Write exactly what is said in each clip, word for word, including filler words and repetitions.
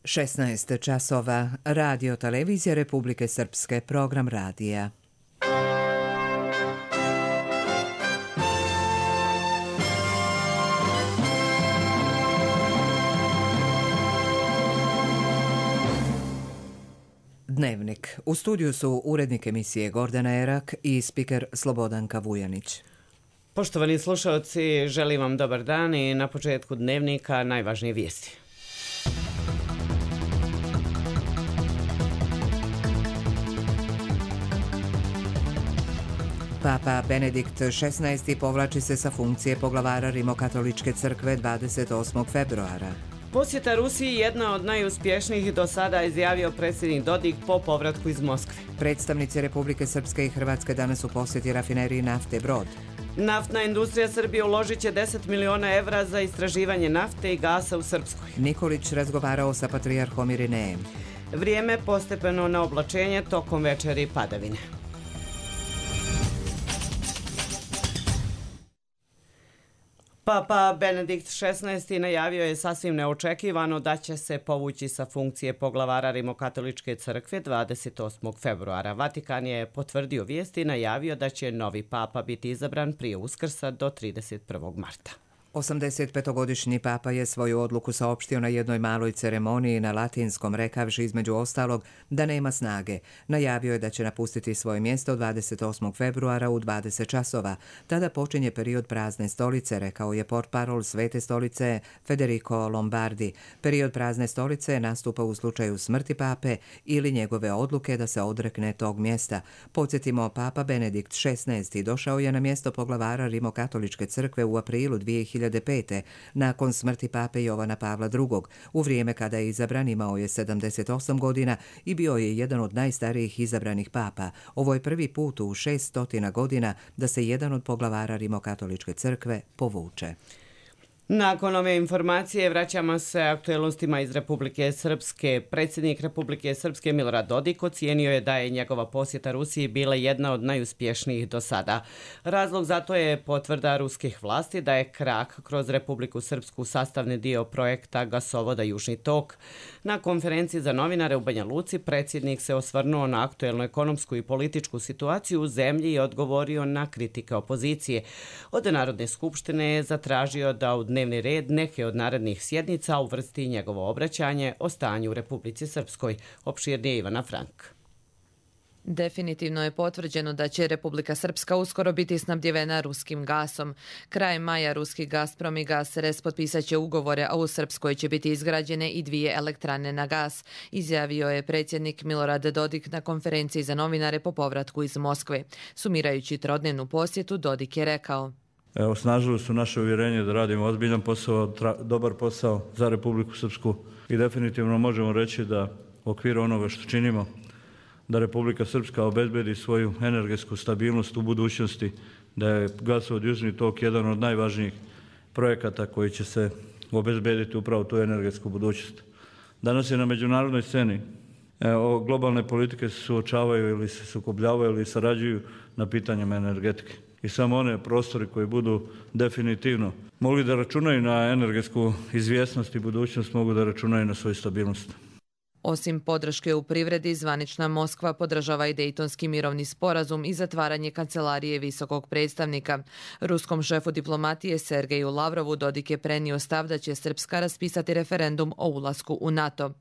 šesnaest časova, Radio Televizija Republike Srpske, program radija. Dnevnik. U studiju su urednik emisije Gordana Erak i spiker Slobodanka Vujanić. Poštovani slušalci, želim vam dobar dan i na početku dnevnika najvažnije vijesti. Papa Benedikt šesnaesti povlači se sa funkcije poglavara Rimokatoličke crkve dvadeset osmog februara. Posjeta Rusiji jedna od najuspješnijih do sada, izjavio predsjednik Dodik po povratku iz Moskve. Predstavnici Republike Srpske i Hrvatske danas u posjeti rafineriji nafte Brod. Naftna industrija Srbije uložit će deset miliona evra za istraživanje nafte i gasa u Srpskoj. Nikolić razgovarao sa patrijarhom Irinejem. Vrijeme postepeno na oblačenje, tokom večeri padavine. Papa Benedikt šesnaesti najavio je sasvim neočekivano da će se povući sa funkcije poglavara Rimokatoličke crkve dvadeset osmog februara. Vatikan je potvrdio vijesti i najavio da će novi papa biti izabran prije Uskrsa do trideset prvog marta. osamdesetpetogodišnji papa je svoju odluku saopštio na jednoj maloj ceremoniji na latinskom, rekavši između ostalog da nema snage. Najavio je da će napustiti svoje mjesto dvadeset osmog februara u dvadeset časova. Tada počinje period prazne stolice, rekao je portparol Svete stolice Federico Lombardi. Period prazne stolice nastupa u slučaju smrti pape ili njegove odluke da se odrekne tog mjesta. Podsjetimo, papa Benedikt šesnaesti došao je na mjesto poglavara Rimokatoličke crkve u aprilu dvije hiljade pete. Nakon smrti pape Jovana Pavla drugog. U vrijeme kada je izabran imao je sedamdeset osam godina i bio je jedan od najstarijih izabranih papa. Ovo je prvi put u šeststotina godina da se jedan od poglavara Rimokatoličke crkve povuče. Nakon ove informacije vraćamo se aktuelnostima iz Republike Srpske. Predsjednik Republike Srpske Milorad Dodik ocijenio je da je njegova posjeta Rusiji bila jedna od najuspješnijih do sada. Razlog za to je potvrda ruskih vlasti da je krak kroz Republiku Srpsku sastavni dio projekta gasovoda Južni tok. Na konferenciji za novinare u Banja Luci predsjednik se osvrnuo na aktuelnu ekonomsku i političku situaciju u zemlji i odgovorio na kritike opozicije. Od Narodne skupštine je zatražio da u dnevni red neke od narednih sjednica uvrsti njegovo obraćanje o stanju u Republici Srpskoj. Opširnije Ivana Frank. Definitivno je potvrđeno da će Republika Srpska uskoro biti snabdjevena ruskim gasom. Krajem maja ruski Gazprom i Gasres potpisat će ugovore, a u Srpskoj će biti izgrađene i dvije elektrane na gas, izjavio je predsjednik Milorad Dodik na konferenciji za novinare po povratku iz Moskve. Sumirajući trodnevnu posjetu, Dodik je rekao: Osnažili su naše uvjerenje da radimo ozbiljan posao, tra, dobar posao za Republiku Srpsku i definitivno možemo reći da u okviru onoga što činimo, da Republika Srpska obezbedi svoju energetsku stabilnost u budućnosti, da je gasovod Južni tok jedan od najvažnijih projekata koji će se obezbediti upravo tu energetsku budućnost. Danas je na međunarodnoj sceni evo, globalne politike se suočavaju ili se sukobljavaju ili sarađuju na pitanjima energetike. I samo one prostori koji budu definitivno mogli da računaju na energetsku izvjesnost i budućnost, mogu da računaju na svoju stabilnost. Osim podrške u privredi, zvanična Moskva podržava i Dejtonski mirovni sporazum i zatvaranje kancelarije visokog predstavnika. Ruskom šefu diplomatije Sergeju Lavrovu Dodik je prenio stav da će Srpska raspisati referendum o ulasku u NATO.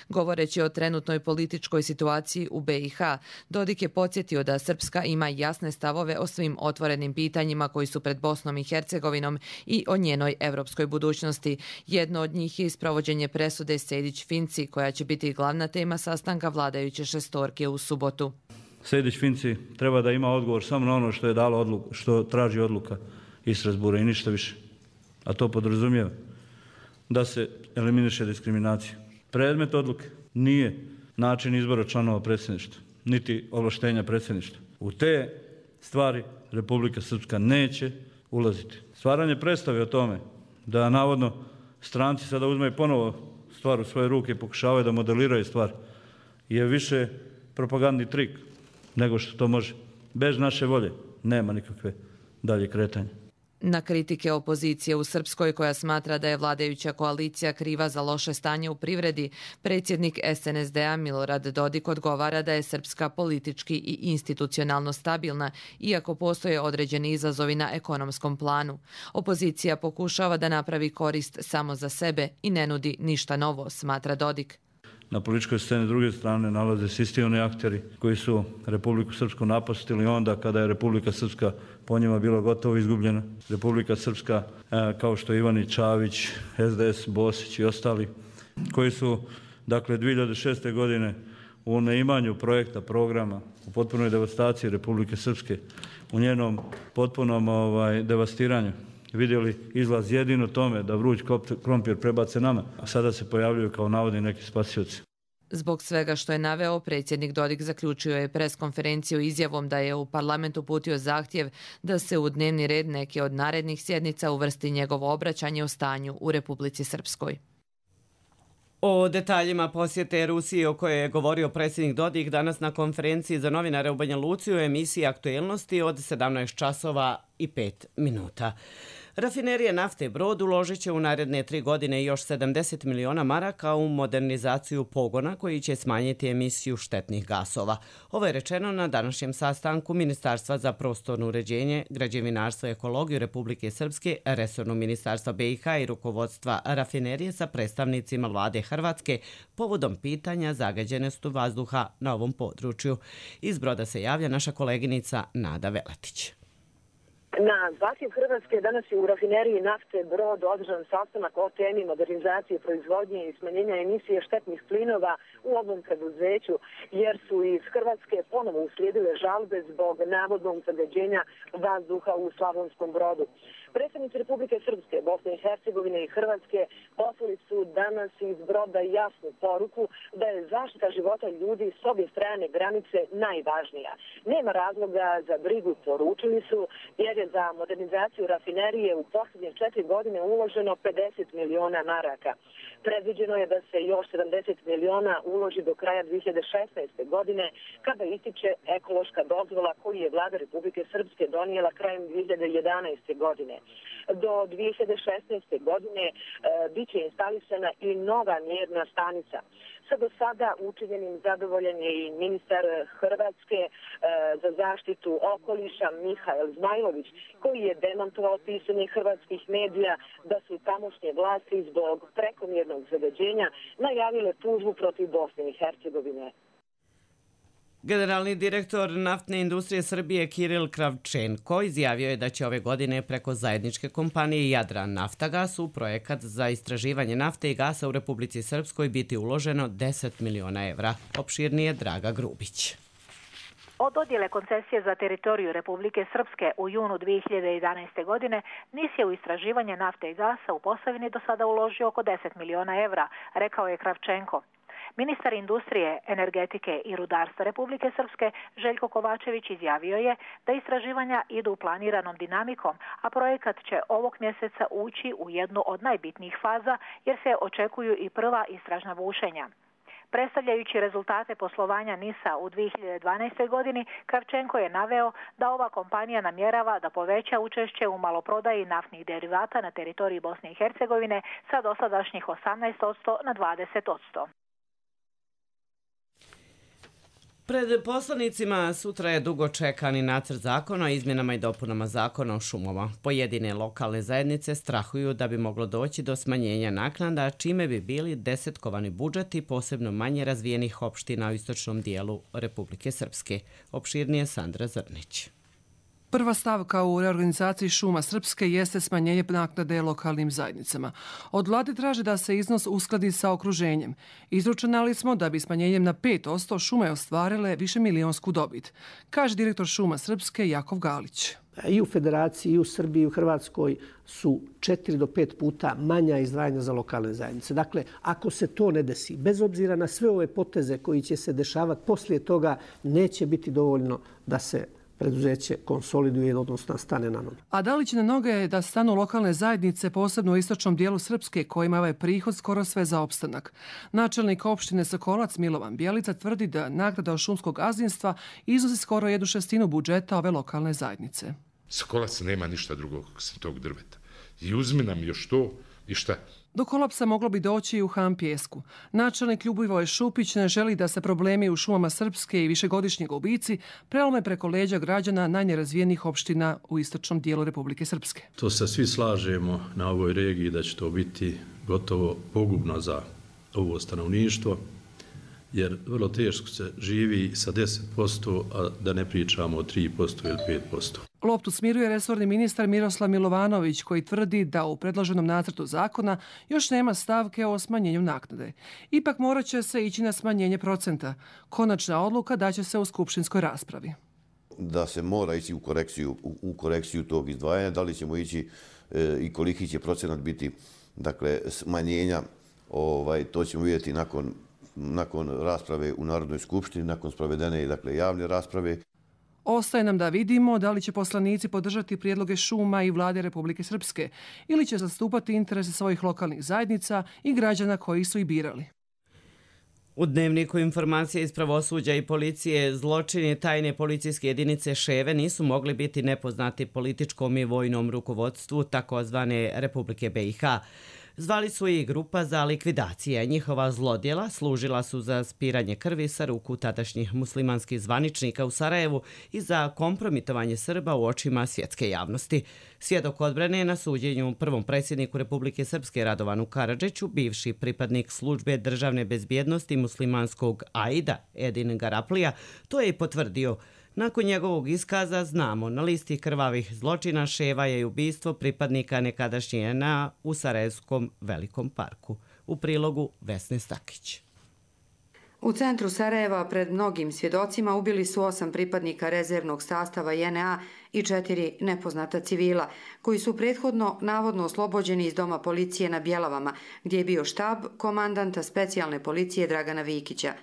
Govoreći o trenutnoj političkoj situaciji u be i ha, Dodik je podsjetio da Srpska ima jasne stavove o svim otvorenim pitanjima koji su pred Bosnom i Hercegovinom i o njenoj evropskoj budućnosti. Jedno od njih je sprovođenje presude Sejdić-Finci, koja će biti glavna tema sastanka vladajuće šestorke u subotu. Sejdić-Finci treba da ima odgovor samo na ono što je dalo odluku, što traži odluka iz Strasbura i ništa više. A to podrazumijeva da se eliminiše diskriminacija. Predmet odluke nije način izbora članova predsjedništva, niti ovlaštenja predsjedništva. U te stvari Republika Srpska neće ulaziti. Stvaranje predstave o tome da navodno stranci sada uzmeju ponovo stvar u svoje ruke i pokušavaju da modeliraju stvar je više propagandni trik nego što to može. Bez naše volje nema nikakve dalje kretanja. Na kritike opozicije u Srpskoj koja smatra da je vladajuća koalicija kriva za loše stanje u privredi, predsjednik S N S D-a Milorad Dodik odgovara da je Srpska politički i institucionalno stabilna, iako postoje određeni izazovi na ekonomskom planu. Opozicija pokušava da napravi korist samo za sebe i ne nudi ništa novo, smatra Dodik. Na političkoj sceni s druge strane nalaze se isti oni akteri koji su Republiku Srpsku napustili onda kada je Republika Srpska po njima bila gotovo izgubljena. Republika Srpska, kao što je Ivanić, Čavić, S D S, Bosić i ostali, koji su dakle dvije hiljade šeste. godine u neimanju projekta, programa, u potpunoj devastaciji Republike Srpske, u njenom potpunom ovaj, devastiranju, vidjeli izlaz jedino tome da vruć krompir prebace nama, a sada se pojavljuju kao navodni neki spasioci. Zbog svega što je naveo, predsjednik Dodik zaključio je preskonferenciju izjavom da je u parlament uputio zahtjev da se u dnevni red neke od narednih sjednica uvrsti njegovo obraćanje o stanju u Republici Srpskoj. O detaljima posjete Rusiji o kojoj je govorio predsjednik Dodik danas na konferenciji za novinare u Banja Luci u emisiji Aktuelnosti od sedamnaest časova i pet minuta. Rafinerija nafte Brod uložit će u naredne tri godine još sedamdeset miliona maraka u modernizaciju pogona koji će smanjiti emisiju štetnih gasova. Ovo je rečeno na današnjem sastanku Ministarstva za prostorno uređenje, građevinarstvo i ekologiju Republike Srpske, resornog ministarstva B i H i rukovodstva rafinerije sa predstavnicima vlade Hrvatske povodom pitanja zagađenosti vazduha na ovom području. Iz Broda se javlja naša koleginica Nada Veletić. Na zahtjev Hrvatske danas je u rafineriji nafte Brod održan sastanak o temi modernizacije proizvodnje i smanjenja emisije štetnih plinova u ovom preduzeću, jer su iz Hrvatske ponovo uslijedile žalbe zbog navodnog zagađenja vazduha u Slavonskom Brodu. Predstavnici Republike Srpske, Bosne i Hercegovine i Hrvatske poslali su danas iz Broda jasnu poruku da je zaštita života ljudi s obje strane granice najvažnija. Nema razloga za brigu, poručili su, jer je za modernizaciju rafinerije u posljednje četiri godine uloženo pedeset miliona maraka. Predviđeno je da se još sedamdeset miliona uloži do kraja dvije hiljade šesnaeste. godine, kada ističe ekološka dozvola koju je vlada Republike Srpske donijela krajem dvije hiljade jedanaeste. godine. Do dvije hiljade šesnaeste. godine e, bit će instalisana i nova mjerna stanica. Sa do sada učinjenim zadovoljan je i ministar Hrvatske e, za zaštitu okoliša Mihael Zmajlović, koji je demantovao pisanje hrvatskih medija da su tamošnje vlasti zbog prekomjernog zagađenja najavile tužbu protiv Bosne i Hercegovine. Generalni direktor naftne industrije Srbije Kiril Kravčenko izjavio je da će ove godine preko zajedničke kompanije Jadran Naftagas u projekat za istraživanje nafte i gasa u Republici Srpskoj biti uloženo deset miliona evra. Opširnije Draga Grubić. Od dodjele koncesije za teritoriju Republike Srpske u junu dvije hiljade jedanaeste. godine NIS je u istraživanje nafte i gasa u Posavini do sada uložio oko deset miliona evra, rekao je Kravčenko. Ministar industrije, energetike i rudarstva Republike Srpske Željko Kovačević izjavio je da istraživanja idu planiranom dinamikom, a projekat će ovog mjeseca ući u jednu od najbitnijih faza jer se očekuju i prva istražna bušenja. Predstavljajući rezultate poslovanja NIS-a u dvije hiljade dvanaestoj. godini, Kravčenko je naveo da ova kompanija namjerava da poveća učešće u maloprodaji naftnih derivata na teritoriji Bosne i Hercegovine sa dosadašnjih osamnaest posto na dvadeset posto. Pred poslanicima sutra je dugo čekani nacrt zakona o izmjenama i dopunama zakona o šumama. Pojedine lokalne zajednice strahuju da bi moglo doći do smanjenja naknada, čime bi bili desetkovani budžeti posebno manje razvijenih opština u istočnom dijelu Republike Srpske. Opširnije Sandra Zrnić. Prva stavka u reorganizaciji šuma Srpske jeste smanjenje naknade lokalnim zajednicama. Od vlade traže da se iznos uskladi sa okruženjem. Izračunali smo da bi smanjenjem na pet posto šume ostvarile više milionsku dobit, kaže direktor šuma Srpske Jakov Galić. I u Federaciji, i u Srbiji, i u Hrvatskoj su četiri do pet puta manja izdvajanja za lokalne zajednice. Dakle, ako se to ne desi, bez obzira na sve ove poteze koji će se dešavati poslije toga, neće biti dovoljno da se preduzeće konsoliduje, odnosno stane na noge. A da li će na noge da stanu lokalne zajednice, posebno u istočnom dijelu Srpske, kojima ovaj prihod skoro sve za opstanak? Načelnik opštine Sokolac Milovan Bjelica tvrdi da naknada od šumskog gazdinstva iznosi skoro jednu šestinu budžeta ove lokalne zajednice. Sa kolapsa nema ništa drugog sem tog drveta. I uzmi nam još to i šta? Do kolapsa moglo bi doći i u Han Pijesku. Načelnik Ljubivoj Šupić ne želi da se problemi u šumama Srpske i višegodišnji gubici prelome preko leđa građana najnerazvijenijih opština u istočnom dijelu Republike Srpske. To se svi slažemo na ovoj regiji da će to biti gotovo pogubno za ovo stanovništvo, jer vrlo teško se živi sa deset posto, a da ne pričamo o tri posto ili pet posto. Loptu smiruje resorni ministar Miroslav Milovanović, koji tvrdi da u predloženom nacrtu zakona još nema stavke o smanjenju naknade. Ipak morat će se ići na smanjenje procenta. Konačna odluka daće se u skupštinskoj raspravi. Da se mora ići u korekciju, u, u korekciju tog izdvajanja, da li ćemo ići e, i koliki će procenat biti, dakle, smanjenja, ovaj, to ćemo vidjeti nakon, nakon rasprave u Narodnoj skupštini, nakon sprovedene, dakle, javne rasprave. Ostaje nam da vidimo da li će poslanici podržati prijedloge šuma i vlade Republike Srpske ili će zastupati interese svojih lokalnih zajednica i građana koji su ih birali. U dnevniku informacije iz pravosuđa i policije zločini tajne policijske jedinice Ševe nisu mogli biti nepoznati političkom i vojnom rukovodstvu takozvane Republike B i H. Zvali su i grupa za likvidacije. Njihova zlodjela služila su za spiranje krvi sa ruku tadašnjih muslimanskih zvaničnika u Sarajevu i za kompromitovanje Srba u očima svjetske javnosti. Svjedok odbrane na suđenju prvom predsjedniku Republike Srpske Radovanu Karadžiću, bivši pripadnik službe državne bezbjednosti muslimanskog Aida Edin Garaplija, to je i potvrdio. Nakon njegovog iskaza znamo, na listi krvavih zločina Ševa je i ubistvo pripadnika nekadašnje N A u Sarajevskom Velikom parku. U prilogu Vesne Stakić. U centru Sarajeva pred mnogim svjedocima ubili su osam pripadnika rezervnog sastava J N A i četiri nepoznata civila, koji su prethodno navodno oslobođeni iz doma policije na Bjelavama, gdje je bio štab komandanta specijalne policije Dragana Vikića.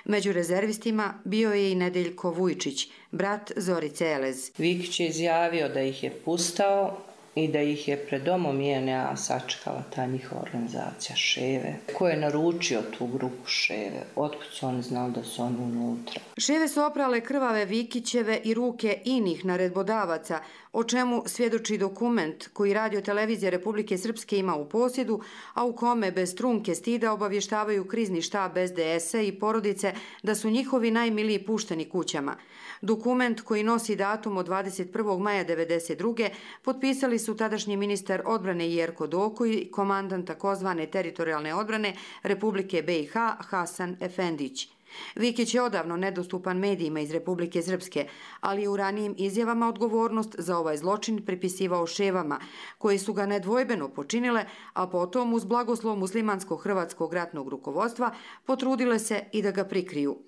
Među rezervistima bio je i Nedeljko Vujčić, brat Zorice Elez. Vikić je izjavio da ih je pustao i da ih je pred domom J N A sačekala ta njihova organizacija Ševe. Ko je naručio tu grupu Ševe? Otkud su oni znali da su oni unutra? Ševe su oprale krvave Vikićeve i ruke inih naredbodavaca, o čemu svjedoči dokument koji Radio televizija Republike Srpske ima u posjedu, a u kome bez trunke stida obavještavaju krizni štab S D S-a i porodice da su njihovi najmiliji pušteni kućama. Dokument koji nosi datum od dvadeset prvog maja devedeset druge potpisali su tadašnji ministar odbrane Jerko Doko i komandant takozvane teritorijalne odbrane Republike B i H Hasan Efendić. Vikić je odavno nedostupan medijima iz Republike Srpske, ali je u ranijim izjavama odgovornost za ovaj zločin pripisivao Ševama, koje su ga nedvojbeno počinile, a potom uz blagoslov muslimansko-hrvatskog ratnog rukovodstva potrudile se i da ga prikriju.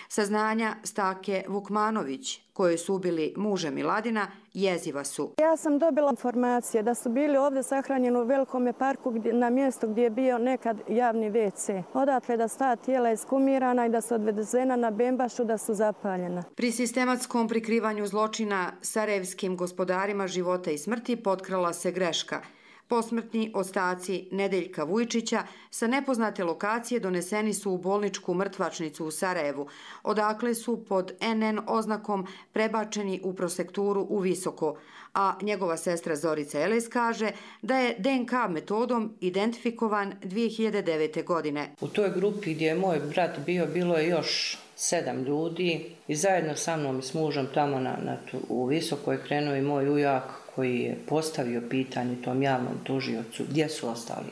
Saznanja Stake Vukmanović, koje su ubili muže Miladina, jeziva su. Ja sam dobila informacije da su bili ovdje sahranjeni u Velikom parku na mjestu gdje je bio nekad javni ve ce. Odatle da su ta tijela iskumirana i da su odvezena na Bembašu, da su zapaljena. Pri sistematskom prikrivanju zločina sarajevskim gospodarima života i smrti potkrala se greška. Posmrtni ostaci Nedeljka Vujčića sa nepoznate lokacije doneseni su u bolničku mrtvačnicu u Sarajevu, odakle su pod N N oznakom prebačeni u prosekturu u Visoko, a njegova sestra Zorica Elez kaže da je D N K metodom identifikovan dvije hiljade devete. godine. U toj grupi gdje je moj brat bio, bilo je još sedam ljudi i zajedno sa mnom i s mužem tamo na, na tu, u Visoko je krenuo i moj ujak koji je postavio pitanje tom javnom tužiocu gdje su ostali.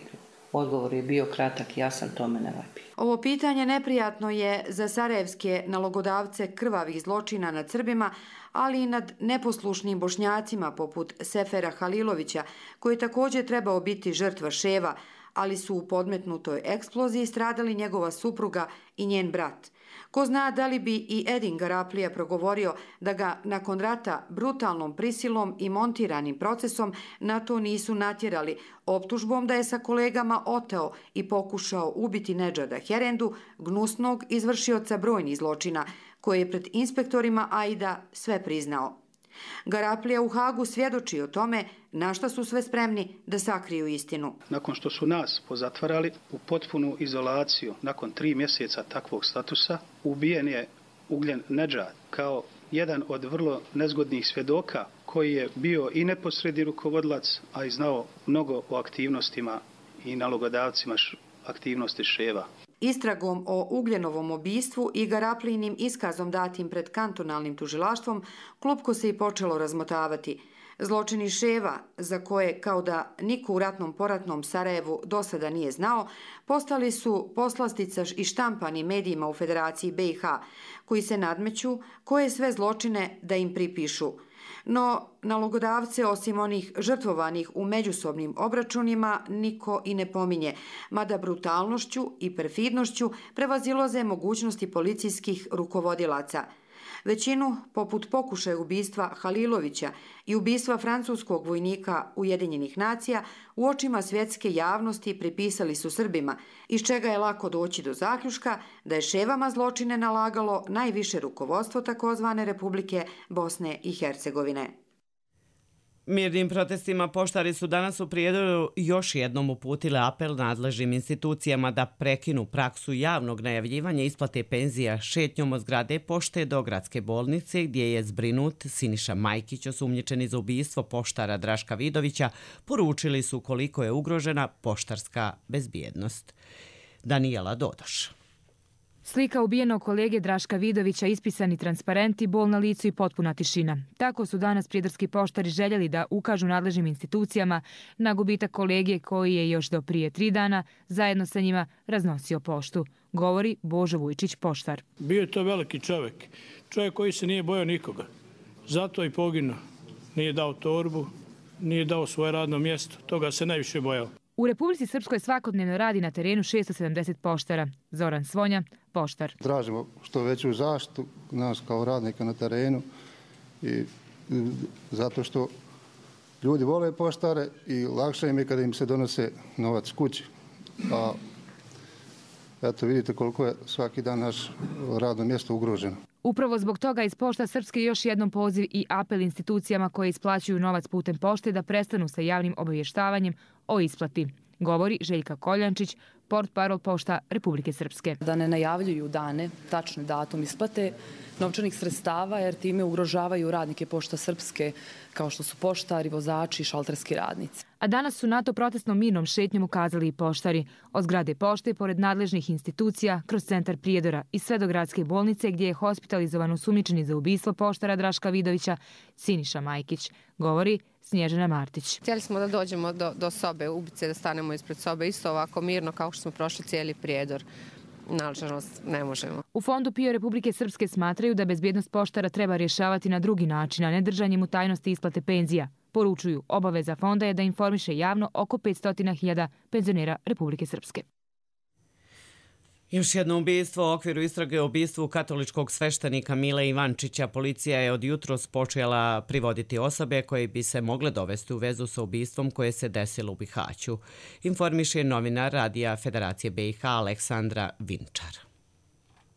Odgovor je bio kratak i jasan, tome ne vapi. Ovo pitanje neprijatno je za sarajevske nalogodavce krvavih zločina nad Srbima, ali i nad neposlušnim Bošnjacima poput Sefera Halilovića, koji je također trebao biti žrtva Ševa, ali su u podmetnutoj eksploziji stradali njegova supruga i njen brat. Ko zna da li bi i Edin Garaplija progovorio da ga nakon rata brutalnom prisilom i montiranim procesom na to nisu natjerali, optužbom da je sa kolegama oteo i pokušao ubiti Nedžada Herendu, gnusnog izvršioca brojnih zločina, koji je pred inspektorima Aida sve priznao. Garaplija u Hagu svjedoči o tome na šta su sve spremni da sakriju istinu. Nakon što su nas pozatvarali u potpunu izolaciju, nakon tri mjeseca takvog statusa, ubijen je Ugljen Nedžad kao jedan od vrlo nezgodnih svjedoka koji je bio i neposredni rukovodilac, a i znao mnogo o aktivnostima i nalogodavcima aktivnosti ševa. Istragom o Ugljenovom ubistvu i garaplinim iskazom datim pred kantonalnim tužilaštvom klupko se i počelo razmotavati. Zločini ševa, za koje kao da niko u ratnom poratnom Sarajevu do sada nije znao, postali su poslastica i štampani medijima u Federaciji B i H, koji se nadmeću koje sve zločine da im pripišu. No, nalogodavce, osim onih žrtvovanih u međusobnim obračunima, niko i ne pominje, mada brutalnošću i perfidnošću prevazilaze mogućnosti policijskih rukovodilaca. Većinu, poput pokušaja ubistva Halilovića i ubistva francuskog vojnika Ujedinjenih nacija, u očima svjetske javnosti pripisali su Srbima, iz čega je lako doći do zaključka da je ševama zločine nalagalo najviše rukovodstvo takozvane Republike Bosne i Hercegovine. Mirnim protestima poštari su danas u Prijedoru još jednom uputile apel nadležnim institucijama da prekinu praksu javnog najavljivanja isplate penzija šetnjom od zgrade pošte do gradske bolnice, gdje je zbrinut Siniša Majkić, osumnjičeni za ubistvo poštara Draška Vidovića, poručili su koliko je ugrožena poštarska bezbjednost. Danijela Dodoš. Slika ubijenog kolege Draška Vidovića, ispisani transparenti, bol na licu i potpuna tišina. Tako su danas prijedorski poštari željeli da ukažu nadležnim institucijama na gubitak kolege koji je još do prije tri dana zajedno sa njima raznosio poštu. Govori Božo Vujčić, poštar. Bio je to veliki čovjek. Čovjek koji se nije bojao nikoga. Zato i poginuo. Nije dao torbu, nije dao svoje radno mjesto. Toga se najviše bojao. U Republici Srpskoj svakodnevno radi na terenu šesto sedamdeset poštara. Zoran Svonja, poštar. Tražimo što veću zaštitu nas kao radnika na terenu i zato što ljudi vole poštare i lakše im je kada im se donose novac kući. A eto vidite koliko je svaki dan naš radno mjesto ugroženo. Upravo zbog toga iz Pošta Srpske još jednom poziv i apel institucijama koje isplaćuju novac putem pošte da prestanu sa javnim obavještavanjem o isplati. Govori Željka Koljančić, portparol Pošta Republike Srpske. Da ne najavljuju dane, tačni datum isplate novčanih sredstava, jer time ugrožavaju radnike Pošta Srpske, kao što su poštari, vozači i šalterski radnici. A danas su na to protestnom mirnom šetnjom ukazali i poštari. Od zgrade pošte, pored nadležnih institucija, kroz centar Prijedora i sve do gradske bolnice, gdje je hospitalizovan osumnjičeni za ubistvo poštara Draška Vidovića Siniša Majkić, govori Snježana Martić. Htjeli smo da dođemo do, do sobe ubice, da stanemo ispred sobe isto ovako mirno kao što smo prošli cijeli Prijedor. Nažalost, ne možemo. U Fondu PIO Republike Srpske smatraju da bezbjednost poštara treba rješavati na drugi način, a ne držanjem u tajnosti isplate penzija. Poručuju, obaveza fonda je da informiše javno oko petsto hiljada penzionera Republike Srpske. Još jedno ubistvo u okviru istrage o ubistvu katoličkog sveštenika Mile Ivančića. Policija je od jutros počela privoditi osobe koje bi se mogle dovesti u vezu sa ubistvom koje se desilo u Bihaću. Informiše novinar Radija Federacije B i H Aleksandra Vinčar.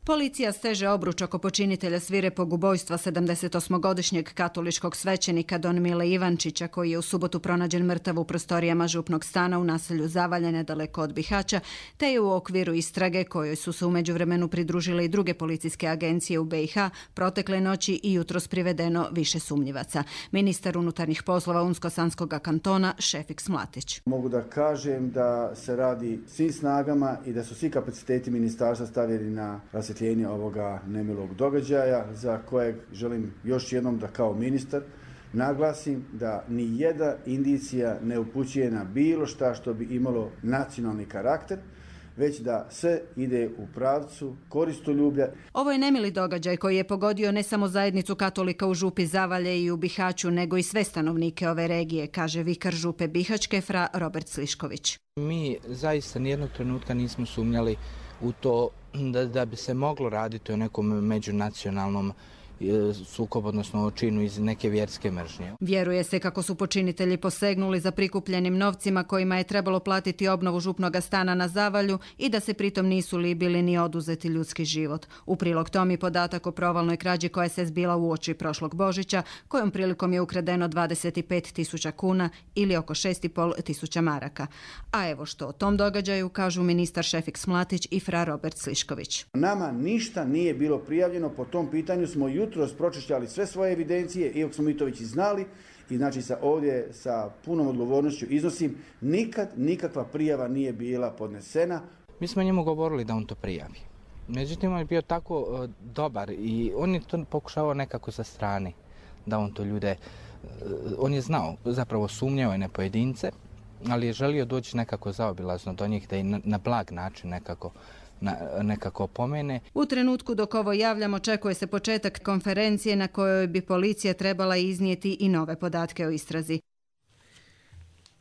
Policija steže obruč oko počinitelja svirepog ubojstva sedamdesetosmogodišnjeg katoličkog svećenika Don Mile Ivančića, koji je u subotu pronađen mrtav u prostorijama župnog stana u naselju Zavalje, nedaleko od Bihaća, te je u okviru istrage, kojoj su se u međuvremenu pridružile i druge policijske agencije u B i H, protekle noći i jutros privedeno više sumnjivaca. Ministar unutarnjih poslova Unsko-Sanskog kantona Šefik Mlatić. Mogu da kažem da se radi svim snagama i da su svi kapaciteti ministarstva stavljeni na rasvjetljenje ovoga nemilog događaja, za kojeg želim još jednom da kao ministar naglasim da ni jedna indicija ne upućuje na bilo šta što bi imalo nacionalni karakter, već da sve ide u pravcu koristoljublja. Ovo je nemili događaj koji je pogodio ne samo zajednicu katolika u župi Zavalje i u Bihaću, nego i sve stanovnike ove regije, kaže vikar župe Bihaćke fra Robert Slišković. Mi zaista nijednog trenutka nismo sumnjali u to da, da bi se moglo raditi o nekom međunacionalnom sukob, odnosno činu iz neke vjerske mržnje. Vjeruje se kako su počinitelji posegnuli za prikupljenim novcima kojima je trebalo platiti obnovu župnog stana na Zavalju i da se pritom nisu libili ni oduzeti ljudski život. U prilog tom i podatak o provalnoj krađi koja se zbila u oči prošlog Božića, kojom prilikom je ukradeno dvadeset pet tisuća kuna ili oko šest i pol tisuća maraka. A evo što o tom događaju kažu ministar Šefik Mlatić i fra Robert Slišković. Nama ništa nije bilo prijavljeno, po tom pitanju smo jutro jutros pročišćali sve svoje evidencije, iako smo mi to već i znali, i znači sa ovdje sa punom odgovornošću iznosim, nikad nikakva prijava nije bila podnesena. Mi smo njemu govorili da on to prijavi. Međutim, on je bio tako uh, dobar i on je to pokušavao nekako sa strane, da on to ljude, uh, on je znao, zapravo sumnjao je na pojedince, ali je želio doći nekako zaobilazno do njih, da i na, na blag način nekako Na, nekako pomene. U trenutku dok ovo javljamo, očekuje se početak konferencije na kojoj bi policija trebala iznijeti i nove podatke o istrazi.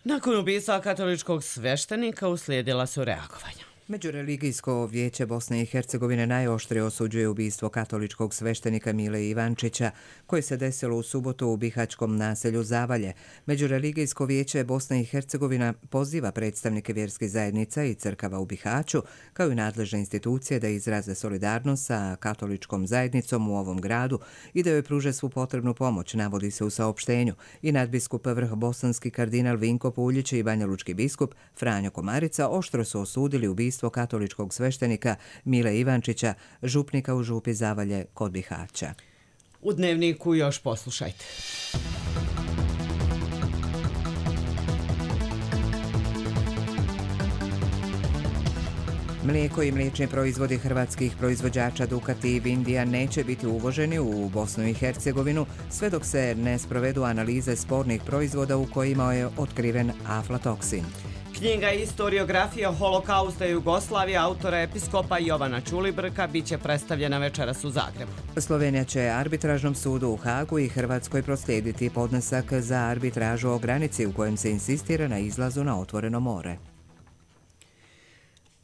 Nakon ubistva katoličkog sveštenika uslijedila su reagovanja. Međureligijsko vijeće Bosne i Hercegovine najoštrije osuđuje ubistvo katoličkog sveštenika Mile Ivančića, koje se desilo u subotu u bihaćkom naselju Zavalje. Međureligijsko vijeće Bosne i Hercegovina poziva predstavnike vjerskih zajednica i crkava u Bihaću, kao i nadležne institucije, da izraze solidarnost sa katoličkom zajednicom u ovom gradu i da joj pruže svu potrebnu pomoć, navodi se u saopštenju. I nadbiskup vrh bosanski kardinal Vinko Puljić i banjalučki biskup Franjo Komarica oštro su osudili ubistvo katoličkog sveštenika Mile Ivančića, župnika u župi Zavalje kod Bihaća. U Dnevniku još poslušajte. Mlijeko i mliječni proizvodi hrvatskih proizvođača Ducati i Vindija neće biti uvoženi u Bosnu i Hercegovinu sve dok se ne sprovedu analize spornih proizvoda u kojima je otkriven aflatoksin. Knjiga Historiografija holokausta Jugoslavije autora episkopa Jovana Ćulibrka biće predstavljena večeras u Zagrebu. Slovenija će arbitražnom sudu u Hagu i Hrvatskoj proslijediti podnesak za arbitražu o granici u kojem se insistira na izlazu na otvoreno more.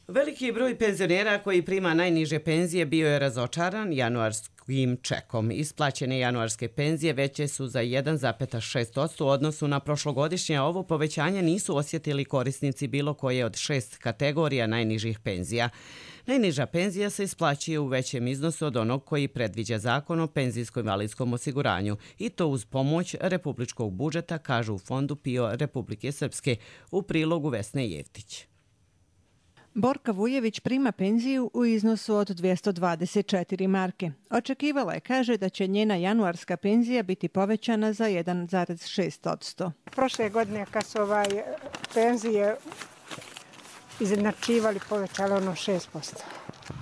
Veliki broj penzionera koji prima najniže penzije bio je razočaran januarskim čekom. Isplaćene januarske penzije veće su za jedan zarez šest posto u odnosu na prošlogodišnje. Ovo povećanje nisu osjetili korisnici bilo koje od šest kategorija najnižih penzija. Najniža penzija se isplaćuje u većem iznosu od onog koji predviđa zakon o penzijsko-invalidskom osiguranju i to uz pomoć republičkog budžeta, kažu u Fondu PIO Republike Srpske u prilogu Vesne Jevtić. Borka Vujević prima penziju u iznosu od dvjesto dvadeset četiri marke. Očekivala je, kaže, da će njena januarska penzija biti povećana za jedan zarez šest posto. Prošle godine kad su ovaj penzije izjednačivali, povećali ono šest posto.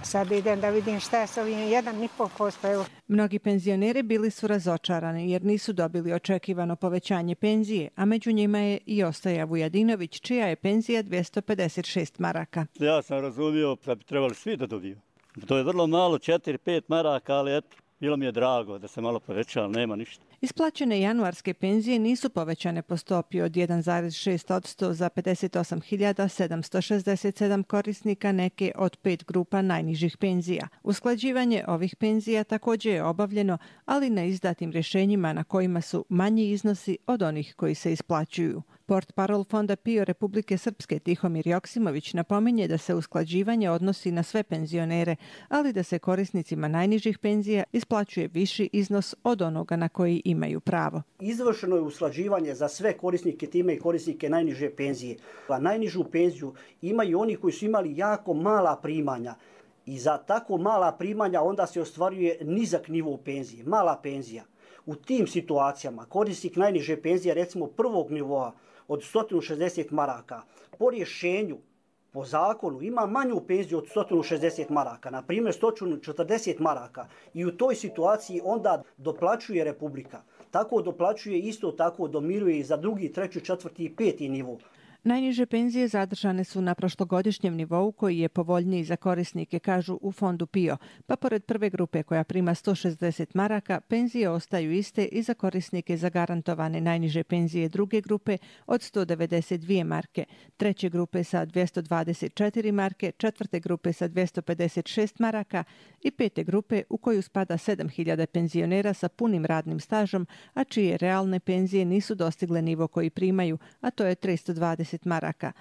Sad idem da vidim šta je s ovim jedan zarez pet posto. Mnogi penzioneri bili su razočarani jer nisu dobili očekivano povećanje penzije, a među njima je i Ostoja Vujadinović, čija je penzija dvjesto pedeset šest maraka. Ja sam razumio da bi trebali svi da dobiju. To je vrlo malo, četiri pet maraka, ali eto, bilo mi je drago da se malo poveća, ali nema ništa. Isplaćene januarske penzije nisu povećane po stopi od jedan zarez šest posto za pedeset osam hiljada sedamsto šezdeset sedam korisnika neke od pet grupa najnižih penzija. Usklađivanje ovih penzija također je obavljeno, ali na izdatim rješenjima na kojima su manji iznosi od onih koji se isplaćuju. Portparol Fonda PIO Republike Srpske Tihomir Joksimović napominje da se usklađivanje odnosi na sve penzionere, ali da se korisnicima najnižih penzija isplaćuje viši iznos od onoga na koji imaju pravo. Izvršeno je usklađivanje za sve korisnike time i korisnike najniže penzije. A najnižu penziju imaju oni koji su imali jako mala primanja. I za tako mala primanja onda se ostvaruje nizak nivo penzije, mala penzija. U tim situacijama korisnik najniže penzije, recimo prvog nivoa, od sto šezdeset maraka, po rješenju, po zakonu, ima manju penziju od sto šezdeset maraka, na primjer sto četrdeset maraka, i u toj situaciji onda doplaćuje Republika. Tako doplaćuje, isto tako domiruje i za drugi, treći, četvrti i peti nivo. Najniže penzije zadržane su na prošlogodišnjem nivou koji je povoljniji za korisnike, kažu u Fondu PIO, pa pored prve grupe koja prima sto šezdeset maraka, penzije ostaju iste i za korisnike zagarantovane najniže penzije druge grupe od sto devedeset dvije marke, treće grupe sa dvjesto dvadeset četiri marke, četvrte grupe sa dvjesto pedeset šest maraka i pete grupe u koju spada sedam hiljada penzionera sa punim radnim stažom, a čije realne penzije nisu dostigle nivo koji primaju, a to je tristo dvadeset maraka.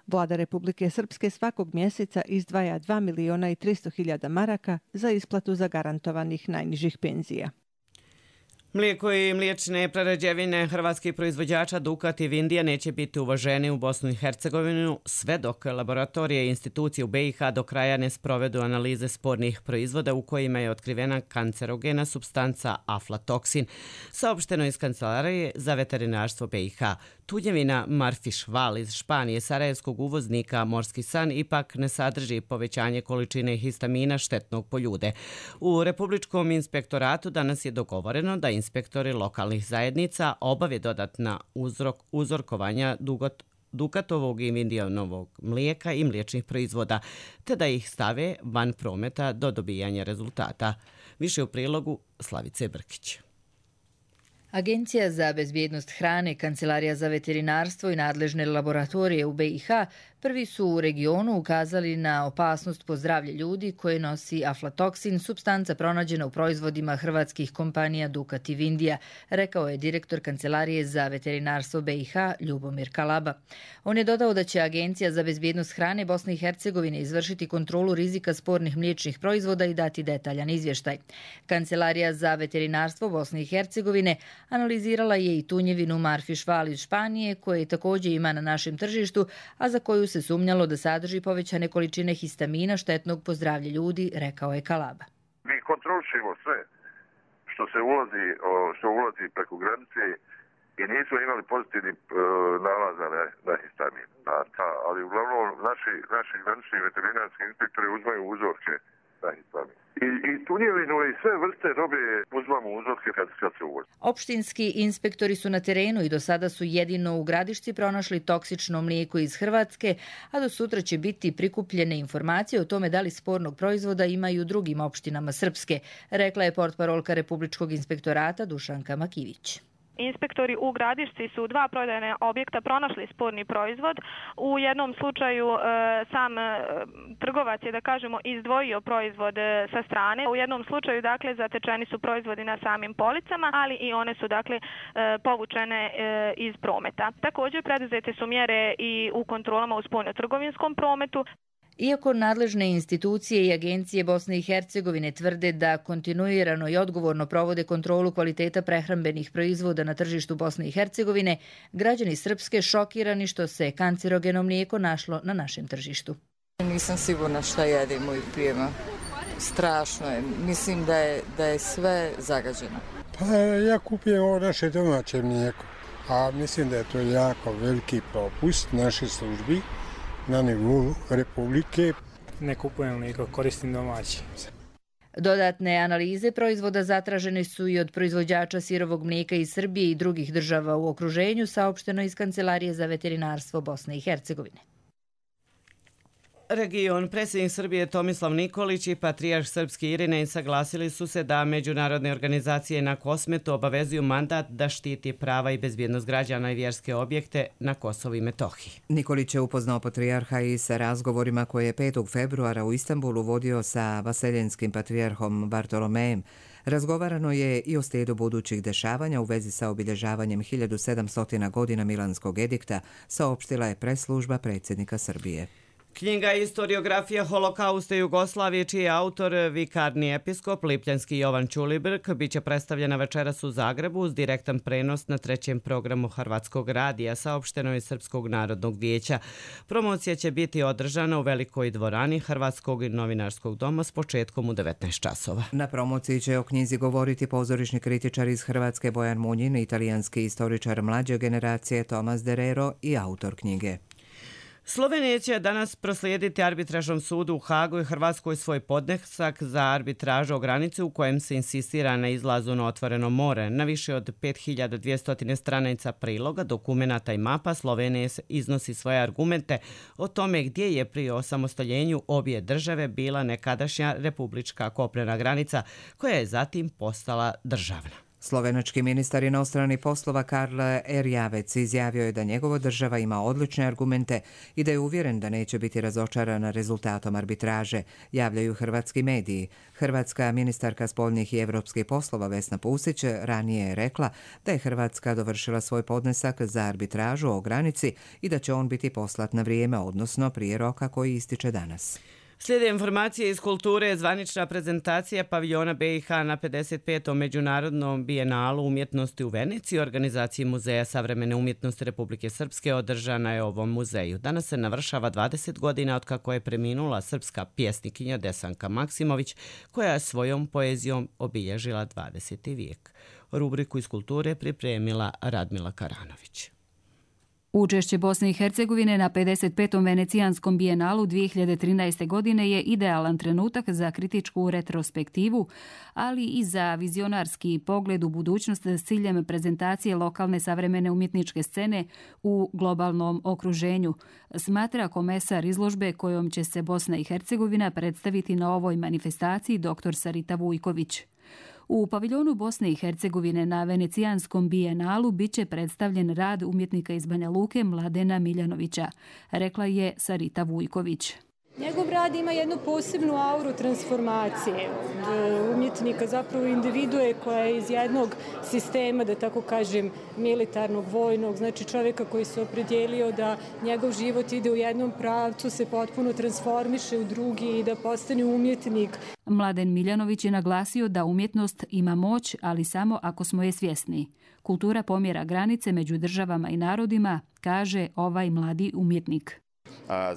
Vlada Republike Srpske svakog mjeseca izdvaja dva miliona i tristo hiljada maraka za isplatu zagarantovanih najnižih penzija. Mlijeko i mliječne prerađevine hrvatskih proizvođača Dukat i Vindija neće biti uvaženi u Bosnu i Hercegovinu sve dok laboratorije i institucije u B i H do kraja ne sprovedu analize spornih proizvoda u kojima je otkrivena kancerogena supstanca aflatoksin, saopšteno iz Kancelarije za veterinarstvo B i H. Tunjevina Marfišval iz Španije, sarajevskog uvoznika Morski san, ipak ne sadrži povećanje količine histamina štetnog po ljude. U Republičkom inspektoratu danas je dogovoreno da inspektori lokalnih zajednica obave dodatna uzrok, uzorkovanja dugot, Dukatovog i Vindijanovog mlijeka i mliječnih proizvoda, te da ih stave van prometa do dobijanja rezultata. Više u prilogu Slavice Brkić. Agencija za bezbjednost hrane, Kancelarija za veterinarstvo i nadležne laboratorije u B i H prvi su u regionu ukazali na opasnost po zdravlje ljudi koje nosi aflatoksin, supstanca pronađena u proizvodima hrvatskih kompanija Dukat i Vindija, rekao je direktor Kancelarije za veterinarstvo B i H Ljubomir Kalaba. On je dodao da će Agencija za bezbjednost hrane Bosne i Hercegovine izvršiti kontrolu rizika spornih mliječnih proizvoda i dati detaljan izvještaj. Kancelarija za veterinarstvo Bosne i Hercegovine analizirala je i tunjevinu Marfišval iz Španije, koje također ima na našem tržištu, a za koju se sumnjalo da sadrži povećane količine histamina štetnog po zdravlje ljudi, rekao je Kalaba. Mi kontrolišemo sve što se ulazi, što ulazi preko granice i nismo imali pozitivni nalaza na, na histamin. Ali uglavnom naši, naši granični veterinarski inspektori uzmaju uzorke na histamin. I, i tunjevinu i sve vrste robe uzmamo uzorke kad, kad se uvozi. Opštinski inspektori su na terenu i do sada su jedino u Gradišci pronašli toksično mlijeko iz Hrvatske, a do sutra će biti prikupljene informacije o tome da li spornog proizvoda imaju u drugim opštinama Srpske, rekla je portparolka Republičkog inspektorata Dušanka Makivić. Inspektori u Gradišci su dva prodajne objekta pronašli sporni proizvod. U jednom slučaju e, sam e, trgovac je, da kažemo, izdvojio proizvod e, sa strane. U jednom slučaju, dakle, zatečeni su proizvodi na samim policama, ali i one su, dakle, e, povučene e, iz prometa. Također, preduzete su mjere i u kontrolama u spoljnotrgovinskom prometu. Iako nadležne institucije i agencije Bosne i Hercegovine tvrde da kontinuirano i odgovorno provode kontrolu kvaliteta prehrambenih proizvoda na tržištu Bosne i Hercegovine, građani Srpske šokirani što se kancerogeno mlijeko našlo na našem tržištu. Nisam sigurna šta jedemo i pijemo. Strašno je. Mislim da je, da je sve zagađeno. Pa ja kupujem ovo naše domaće mlijeko, a mislim da je to jako veliki propust naše službi na nivou Republike. Ne kupujem mlijeko, koristim domaći. Dodatne analize proizvoda zatražene su i od proizvođača sirovog mlijeka iz Srbije i drugih država u okruženju, saopšteno iz Kancelarije za veterinarstvo Bosne i Hercegovine. Region, predsjednik Srbije Tomislav Nikolić i patrijarh srpski Irinej saglasili su se da međunarodne organizacije na Kosmetu obavezuju mandat da štiti prava i bezbjednost građana i vjerske objekte na Kosovu i Metohiji. Nikolić je upoznao patrijarha i sa razgovorima koje je petog februara u Istanbulu vodio sa vaseljenskim patrijarhom Bartolomejem. Razgovarano je i o slijedu budućih dešavanja u vezi sa obilježavanjem hiljadu sedamsto godina Milanskog edikta, saopštila je presslužba predsjednika Srbije. Knjiga Istoriografija holokausta Jugoslavije, čiji je autor vikarni episkop Lipljanski Jovan Ćulibrk, biće predstavljena večeras u Zagrebu uz direktan prenos na trećem programu Hrvatskog radija, saopšteno je Srpskog narodnog vijeća. Promocija će biti održana u velikoj dvorani Hrvatskog novinarskog doma s početkom u devetnaest časova. Na promociji će o knjizi govoriti pozorišni kritičar iz Hrvatske Bojan Munjin, italijanski istoričar mlađe generacije Tomas Derero i autor knjige. Slovenija će danas proslijediti arbitražnom sudu u Hagu i Hrvatskoj svoj podnesak za arbitražu o granici u kojem se insistira na izlazu na otvoreno more. Na više od pet hiljada dvjesto stranica priloga, dokumenata i mapa Slovenija iznosi svoje argumente o tome gdje je pri osamostaljenju obje države bila nekadašnja republička kopnena granica koja je zatim postala državna. Slovenački ministar inostranih poslova Karl Erjavec izjavio je da njegova država ima odlične argumente i da je uvjeren da neće biti razočarana rezultatom arbitraže, javljaju hrvatski mediji. Hrvatska ministarka spoljnih i evropskih poslova Vesna Pusić ranije je rekla da je Hrvatska dovršila svoj podnesak za arbitražu o granici i da će on biti poslat na vrijeme, odnosno prije roka koji ističe danas. Slijede informacije iz kulture. Zvanična prezentacija paviljona B i H na pedeset petom Međunarodnom bijenalu umjetnosti u Veneciji u organizaciji Muzeja savremene umjetnosti Republike Srpske održana je u ovom muzeju. Danas se navršava dvadeset godina od kako je preminula srpska pjesnikinja Desanka Maksimović, koja je svojom poezijom obilježila dvadeseti vijek. Rubriku iz kulture pripremila Radmila Karanović. Učešće Bosne i Hercegovine na pedeset petom Venecijanskom bijenalu dvije hiljade trinaeste. godine je idealan trenutak za kritičku retrospektivu, ali i za vizionarski pogled u budućnost s ciljem prezentacije lokalne savremene umjetničke scene u globalnom okruženju, smatra komesar izložbe kojom će se Bosna i Hercegovina predstaviti na ovoj manifestaciji dr. Sarita Vujković. U paviljonu Bosne i Hercegovine na Venecijanskom bijenalu biće predstavljen rad umjetnika iz Banja Luke Mladena Miljanovića, rekla je Sarita Vujković. Njegov rad ima jednu posebnu auru transformacije od umjetnika, zapravo individue koja je iz jednog sistema, da tako kažem, militarnog, vojnog, znači čovjeka koji se opredijelio da njegov život ide u jednom pravcu, se potpuno transformiše u drugi i da postane umjetnik. Mladen Miljanović je naglasio da umjetnost ima moć, ali samo ako smo je svjesni. Kultura pomjera granice među državama i narodima, kaže ovaj mladi umjetnik.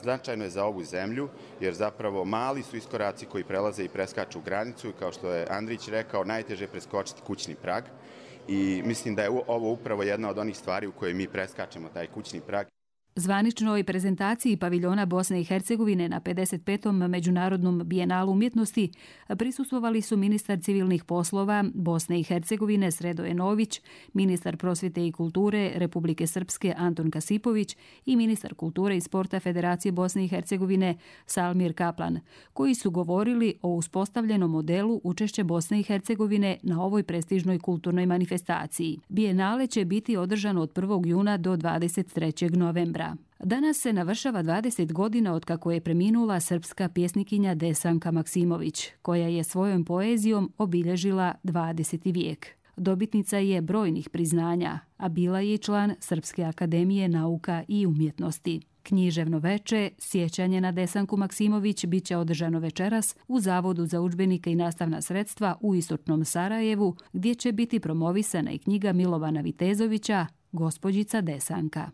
Značajno je za ovu zemlju, jer zapravo mali su iskoraci koji prelaze i preskaču granicu i kao što je Andrić rekao, najteže je preskočiti kućni prag i mislim da je ovo upravo jedna od onih stvari u kojoj mi preskačemo taj kućni prag. Zvaničnoj prezentaciji paviljona Bosne i Hercegovine na pedeset petom Međunarodnom bijenalu umjetnosti prisustvovali su ministar civilnih poslova Bosne i Hercegovine Sredoje Nović, ministar prosvjete i kulture Republike Srpske Anton Kasipović i ministar kulture i sporta Federacije Bosne i Hercegovine Salmir Kaplan, koji su govorili o uspostavljenom modelu učešća Bosne i Hercegovine na ovoj prestižnoj kulturnoj manifestaciji. Bijenale će biti održano od prvog juna do dvadeset trećeg novembra. Danas se navršava dvadeset godina od kako je preminula srpska pjesnikinja Desanka Maksimović, koja je svojom poezijom obilježila dvadeseti vijek. Dobitnica je brojnih priznanja, a bila je član Srpske akademije nauka i umjetnosti. Književno veče, sjećanje na Desanku Maksimović, bit će održano večeras u Zavodu za udžbenike i nastavna sredstva u istočnom Sarajevu, gdje će biti promovisana i knjiga Milovana Vitezovića, Gospođica Desanka.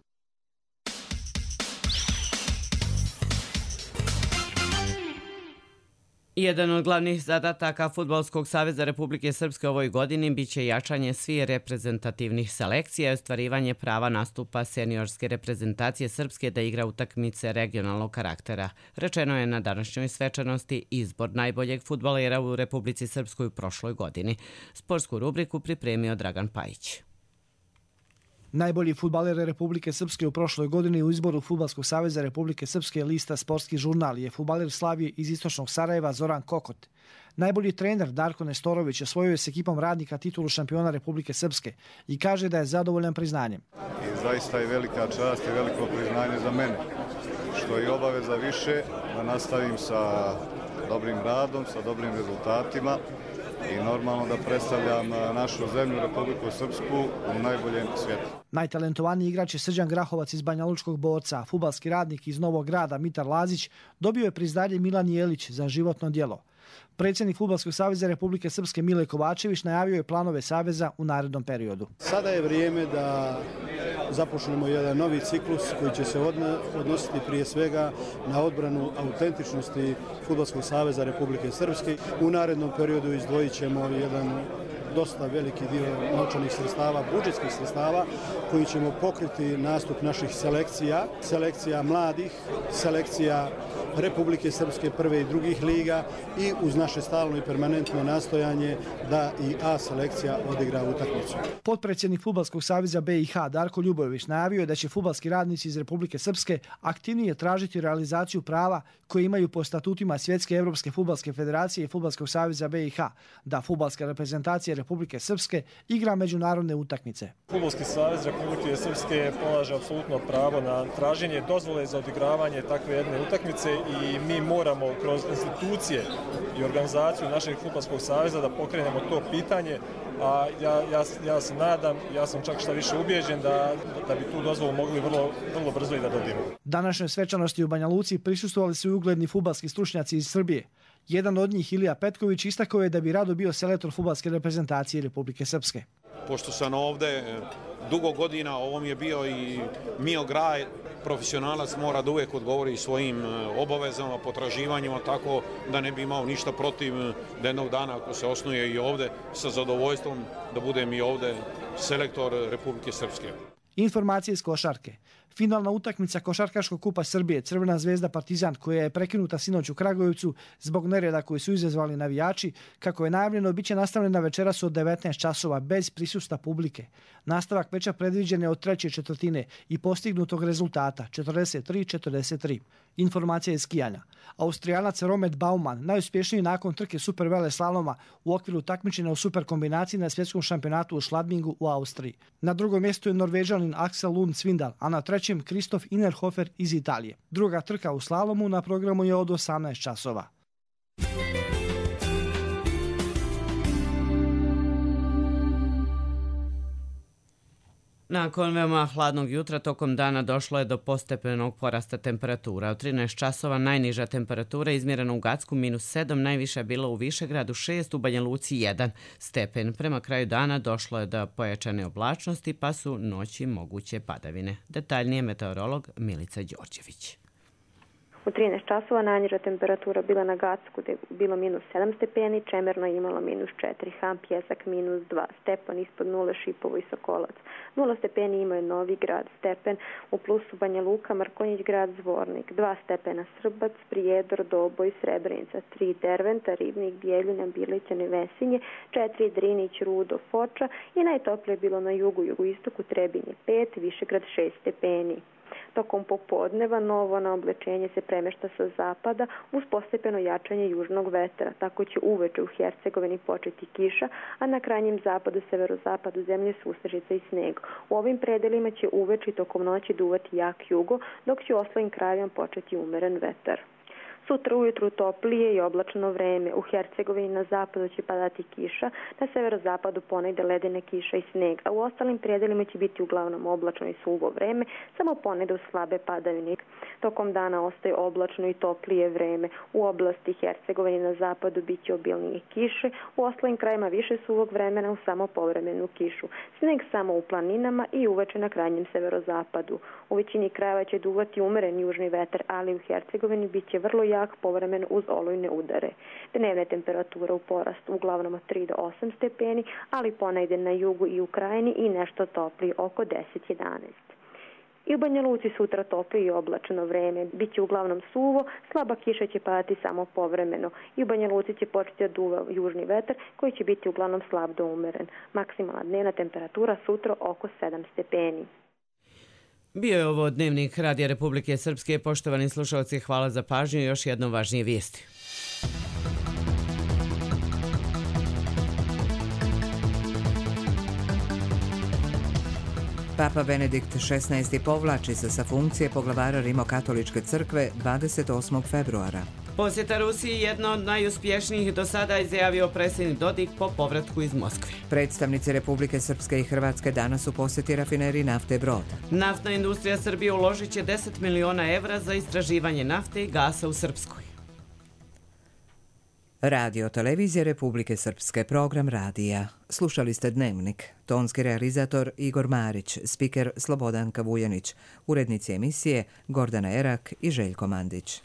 Jedan od glavnih zadataka Fudbalskog saveza Republike Srpske ovoj godini biće jačanje svih reprezentativnih selekcija i ostvarivanje prava nastupa seniorske reprezentacije Srpske da igra utakmice regionalnog karaktera. Rečeno je na današnjoj svečanosti izbor najboljeg fudbalera u Republici Srpskoj u prošloj godini. Sportsku rubriku pripremio Dragan Pajić. Najbolji fudbaler Republike Srpske u prošloj godini u izboru Fudbalskog saveza Republike Srpske lista Sportski žurnal je fudbaler Slavije iz istočnog Sarajeva Zoran Kokot. Najbolji trener Darko Nestorović osvojio je s ekipom radnika titulu šampiona Republike Srpske i kaže da je zadovoljan priznanjem. I zaista je velika čast i veliko priznanje za mene, što je obaveza više da nastavim sa dobrim radom, sa dobrim rezultatima i normalno da predstavljam našu zemlju, Republiku Srpsku, u najboljem svijetu. Najtalentovaniji igrač je Srđan Grahovac iz Banjalučkog Borca, a fudbalski radnik iz Novog Grada Mitar Lazić dobio je priznanje Milan Jelić za životno djelo. Predsjednik Fudbalskog saveza Republike Srpske Mile Kovačević najavio je planove saveza u narednom periodu. Sada je vrijeme da započnemo jedan novi ciklus koji će se odnositi prije svega na odbranu autentičnosti Fudbalskog saveza Republike Srpske. U narednom periodu izdvojit ćemo jedan dosta veliki dio novčanih sredstava, budžetskih sredstava, koji ćemo pokriti nastup naših selekcija, selekcija mladih, selekcija Republike Srpske prve i drugih liga i uz naše stalno i permanentno nastojanje da i A selekcija odigra utakmicu. Potpredsjednik Fudbalskog saveza B i H Darko Ljubojević najavio je da će fudbalski radnici iz Republike Srpske aktivnije tražiti realizaciju prava koje imaju po statutima Svjetske Evropske fudbalske federacije i Fudbalskog saveza B i H, da fudbalska reprezentacija Republike Srpske igra međunarodne utakmice. Fudbalski savez Republike Srpske polaže apsolutno pravo na traženje dozvole za odigravanje takve jedne utakmice i mi moramo kroz institucije i organizaciju našeg Fudbalskog saveza da pokrenemo to pitanje a ja, ja, ja se nadam, ja sam čak šta više ubijeđen da, da bi tu dozvolu mogli vrlo, vrlo brzo i da dobijemo. Današnjoj svečanosti u Banja Luci prisustvovali su i ugledni fudbalski stručnjaci iz Srbije. Jedan od njih, Ilija Petković, istakao je da bi rado bio selektor fudbalske reprezentacije Republike Srpske. Pošto sam ovde dugo godina, ovo mi je bio i mio graj, profesionalac mora da uvijek odgovori svojim obavezama, potraživanjima, tako da ne bi imao ništa protiv da jednog dana ako se osnuje i ovde sa zadovoljstvom da budem i ovde selektor Republike Srpske. Informacije iz košarke. Finalna utakmica Košarkaškog kupa Srbije Crvena zvezda Partizan, koja je prekinuta sinoć u Kragujevcu zbog nereda koji su izazvali navijači, kako je najavljeno, biće nastavljena večeras od devetnaest časova bez prisustva publike. Nastavak meča predviđen je od treće četvrtine i postignutog rezultata četrdeset tri četrdeset tri. Informacija iz skijanja. Austrijanac Romet Baumann, najuspješniji nakon trke super vele slaloma u okviru takmičenja u super kombinaciji na svjetskom šampionatu u Schladmingu u Austriji. Na drugom mjestu je Norvežanin Axel Lund Svindal, a na trećem Kristof Innerhofer iz Italije. Druga trka u slalomu na programu je od osamnaest časova. Nakon veoma hladnog jutra tokom dana došlo je do postepenog porasta temperatura. Od trinaest časova najniža temperatura izmjerena u Gacku minus sedam, najviša je bila u Višegradu šest, u Banja Luci jedan stepen. Prema kraju dana došlo je do pojačane oblačnosti, pa su noći moguće padavine. Detaljnije meteorolog Milica Đorđević. U trinaest časova najniža temperatura bila na Gacku, gdje je bilo minus sedam stepeni, Čemerno je imalo minus četiri, Ham, Pjesak minus dva, Stepan ispod nule, Šipovo i Sokolac. nula stepeni imao je Novi Grad, stepen u plusu Banja Luka, Markonjić grad, Zvornik, dva stepena Srbac, Prijedor, Doboj, Srebrenica, tri Derventa, Ribnik, Bijeljina, Bilićane, Vesinje, četiri Drinić, Rudo, Foča i najtoplije je bilo na jugu, jugoistoku, Trebinje pet, Višegrad šest stepeni. Tokom popodneva novo na oblečenje se premešta sa zapada uz postepeno jačanje južnog vetra. Tako će uveče u Hercegovini početi kiša, a na krajnjem zapadu, severozapadu zemlje sustažica i sneg. U ovim predelima će uveče i tokom noći duvati jak jugo, dok će u ostalim krajevima početi umeren vetar. Sutra ujutru toplije i oblačno vreme. U Hercegovini na zapadu će padati kiša, na severozapadu ponegde ledene kiša i sneg, a u ostalim predelima će biti uglavnom oblačno i suvo vreme, samo ponegde u slabe padavine. Tokom dana ostaje oblačno i toplije vreme. U oblasti Hercegovine na zapadu bit će obilnije kiše, u ostalim krajima više suvog vremena u samo povremenu kišu. Sneg samo u planinama i uveče na krajnjem severozapadu. U većini krajeva će duvati umeren južni vetar, ali u Hercegovini bit će vrlo jak povremeno uz olujne udare. Dnevne temperature u porastu uglavnom od tri do osam stepeni, ali ponegde na jugu i u krajini i nešto toplije oko deset do jedanaest. I u Banja Luci sutra toplije i oblačno vreme. Biće uglavnom suvo, slaba kiša će padati samo povremeno. I u Banja Luci će početi da duva južni vetar koji će biti uglavnom slab do umeren. Maksimalna dnevna temperatura sutra oko sedam stepeni. Bio je ovo dnevnik Radija Republike Srpske. Poštovani slušalci, hvala za pažnju i još jednom važnije vijesti. Papa Benedikt šesnaesti povlači se sa funkcije poglavara Rimokatoličke crkve dvadeset osmog februara. Posjeta Rusiji jedna od najuspješnijih do sada, izjavio predsjednik Dodik po povratku iz Moskve. Predstavnici Republike Srpske i Hrvatske danas u posjeti rafineriji nafte Brod. Naftna industrija Srbije uložit će deset miliona evra za istraživanje nafte i gasa u Srpskoj. Radio Televizije Republike Srpske, program radija. Slušali ste Dnevnik. Tonski realizator Igor Marić, spiker Slobodanka Vujanić, urednici emisije Gordana Erak i Željko Mandić.